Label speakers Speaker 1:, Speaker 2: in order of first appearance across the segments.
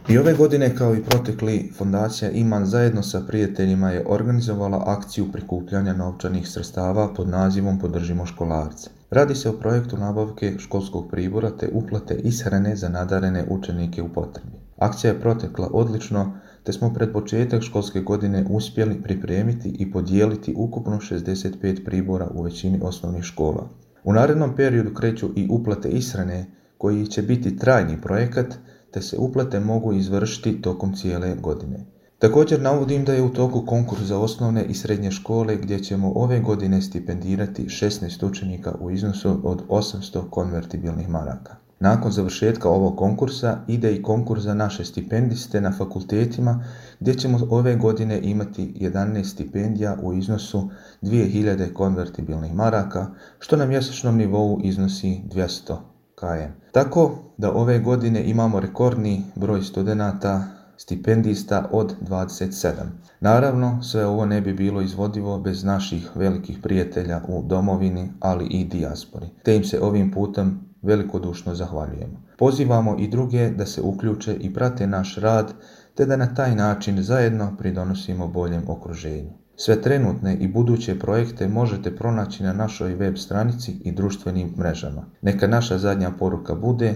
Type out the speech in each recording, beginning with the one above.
Speaker 1: I ove godine, kao i protekli, Fondacija Iman zajedno sa prijateljima je organizovala akciju prikupljanja novčanih sredstava pod nazivom Podržimo školarce. Radi se o projektu nabavke školskog pribora te uplate ishrane za nadarene učenike u potrebi. Akcija je protekla odlično, te smo pred početak školske godine uspjeli pripremiti i podijeliti ukupno 65 pribora u većini osnovnih škola. U narednom periodu kreću i uplate ishrane, koji će biti trajni projekat, te se uplate mogu izvršiti tokom cijele godine. Također navodim da je u toku konkurs za osnovne i srednje škole gdje ćemo ove godine stipendirati 16 učenika u iznosu od 800 konvertibilnih maraka. Nakon završetka ovog konkursa ide i konkurs za naše stipendiste na fakultetima gdje ćemo ove godine imati 11 stipendija u iznosu 2000 konvertibilnih maraka, što na mjesečnom nivou iznosi 200 km. Tako da ove godine imamo rekordni broj studenata stipendista od 27. Naravno, sve ovo ne bi bilo izvodivo bez naših velikih prijatelja u domovini, ali i dijaspori, te im se ovim putem velikodušno zahvaljujemo. Pozivamo i druge da se uključe i prate naš rad, te da na taj način zajedno pridonosimo boljem okruženju. Sve trenutne i buduće projekte možete pronaći na našoj web stranici i društvenim mrežama. Neka naša zadnja poruka bude: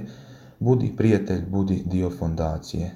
Speaker 1: budi prijatelj, budi dio fondacije.